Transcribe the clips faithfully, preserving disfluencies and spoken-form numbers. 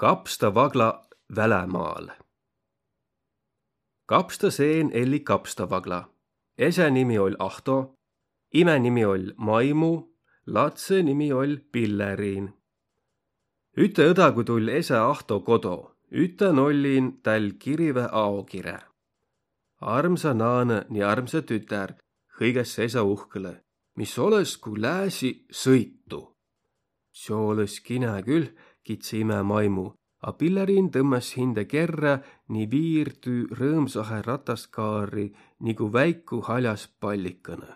Kapstavagla välämaal. Kapsta seen elli Kapstavagla. Esä nimi oll' Ahto, imä nimi oll' Maimu, latsõ nimi oll' Pilleriin. Üte õdagu tull' esä Ahto kodo, ütän ollin täl kirivä aokirä. Armsa naanõ ni armsa tütär, hõigas' esä uhkõlõ, mis olõs, ku lääsi sõitu. Seo olõs kinä kül, kidse imä Maimu, a Pilleriin tõmmas hindä kerrä ni viirtü rõõmsahe rataskaari nigu väiku haljas pallikõnõ.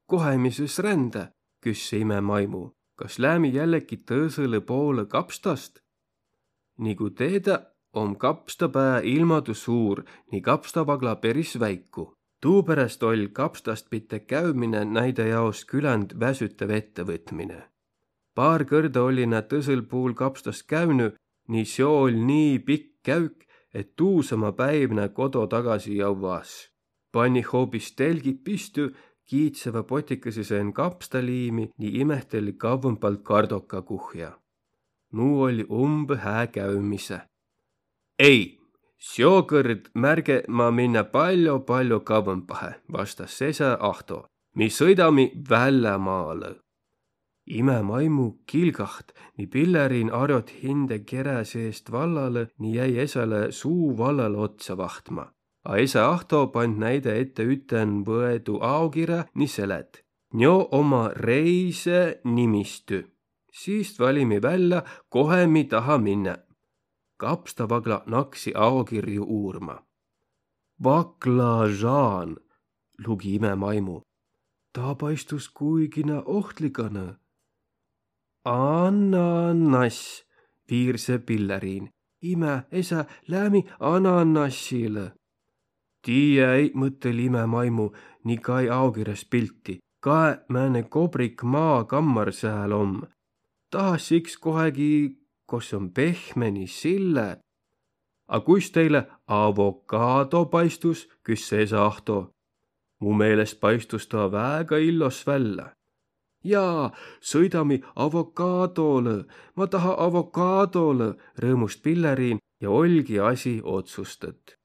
Kohe mi sõs rändä, küsse imä Maimu, kas läämi jälleki tõsõlõ poolõ Kapstast? Nigu teedä, om Kapstapää ilmadu suur ni Kapstavagla peris väiku. Tuuperäst oll' Kapstast pite käümine näide jaos küländ väsütäv ettevõtmine. Paar kõrda olli nä tõsõl puul Kapstast käünü, ni seo oll' nii pikk käük, et tuusama päiv nä kodo tagasi jõvva-s. Panni hoobis telgit pistü, kiitsevä potikõsõ seen kapstaliimi ni imehteli kavvõmbalt kardokakuhja. Nuu olli umbõ hää käümise. Ei, seokõrd märge ma minnä paljo-paljo kavvõmbahe, vastas esä Ahto. Mi sõidami vällämaalõ. Imä Maimu kilgaht ni Pilleriin arjot hindä kerä seest vallalõ ni jäi esäle suu vallalõ otsa vahtma. A esä Ahto pand näide ette üten võedu aokirä ni selet: Njo omma reise nimistü. Siist valimi vällä, kohe mi taha minnä. Kapstavagla naksi aokirju uurma. Baklažaan, lugi imä Maimu. Taa paistus kuigi na ohtliganõ. Ananass, viirse Pilleriin. Imä, esä, läämi ananassilõ. Tiiä-i, mõttõli imä Maimu ni kai aokirjas pilti. Kae, määne kobrik maakammar sääl om. Taha siks kohegi, kos om pehme ni sille. A kuis teile avokaado paistus, küsse esä Ahto. Mu meelest paistus taa väega illos vällä. Jaa, sõidami avokaadolõ, ma taha avokaadolõ, rõõmust Pilleriin ja oll'gi asi otsustõt.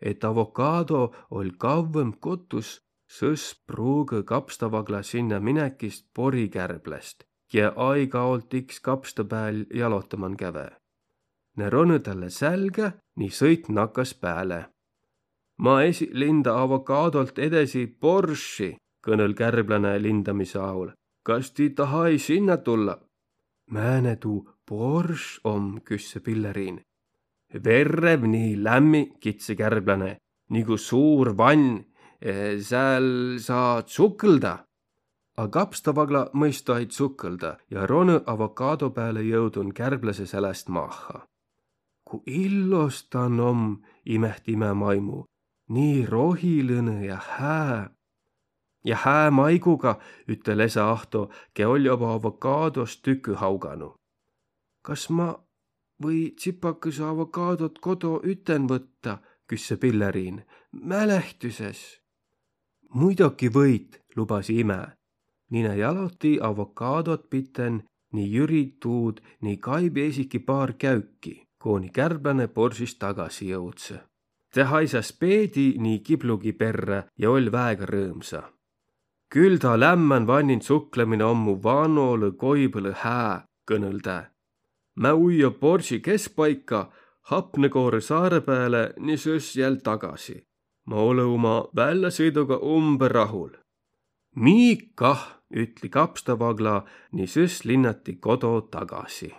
Et avokaado oll' kavvõmb kotus, sõs pruugõ Kapstavagla sinnä minekist porikärbläst, kiä aigaolt iks Kapsta pääl jalotaman käve. Ne ronõ talle sälgä ni sõit nakas pääle. Ma esi linda avokaadolt edesi Porschi, kõnõl' kärbläne lindamisõ aol. Kas ti taha-i sinnä tulla? Määne tuu Porsche om, küsse Pilleriin. Verrev ni lämmi, kidse kärbläne, nigu suur vann, eh, sääl saa tsukõlda. A Kapstavagla mõista-i tsukõlda ja ronõ avokaado pääle jõudun kärbläse säläst maaha. Ku illos tan om, imehti imä Maimu, nii rohilõnõ ja hää. Ja hää maiguga, ütel' esä Ahto, kiä oll' joba avokaadost tükü hauganu. Kas ma või tsipakõsõ avokaadot kodo üten võtta, küsse Pilleriin, mälehtüses. Muidoki võit, lubasi imä. Ni nä jaloti avokaadot piten ni jüri tuud ni kaibi esiki paar käüki, kooni kärbläne Porschist tagasi jõudsõ. Tä haisas peedi ni kiblugi perrä ja oll' väega rõõmsa. Kül taa lämmän vannin tsuklõminõ om mu vanolõ goibõlõ hää, kõnõl' tä. Mä ujjo Porschi keskpaika, Hapnegoorõ saarõ pääle ni sõs jäl tagasi. Ma olõ uma välläsõiduga umbõ rahul. Mii kah, ütli Kapstavagla ni sõs linnati kodo tagasi.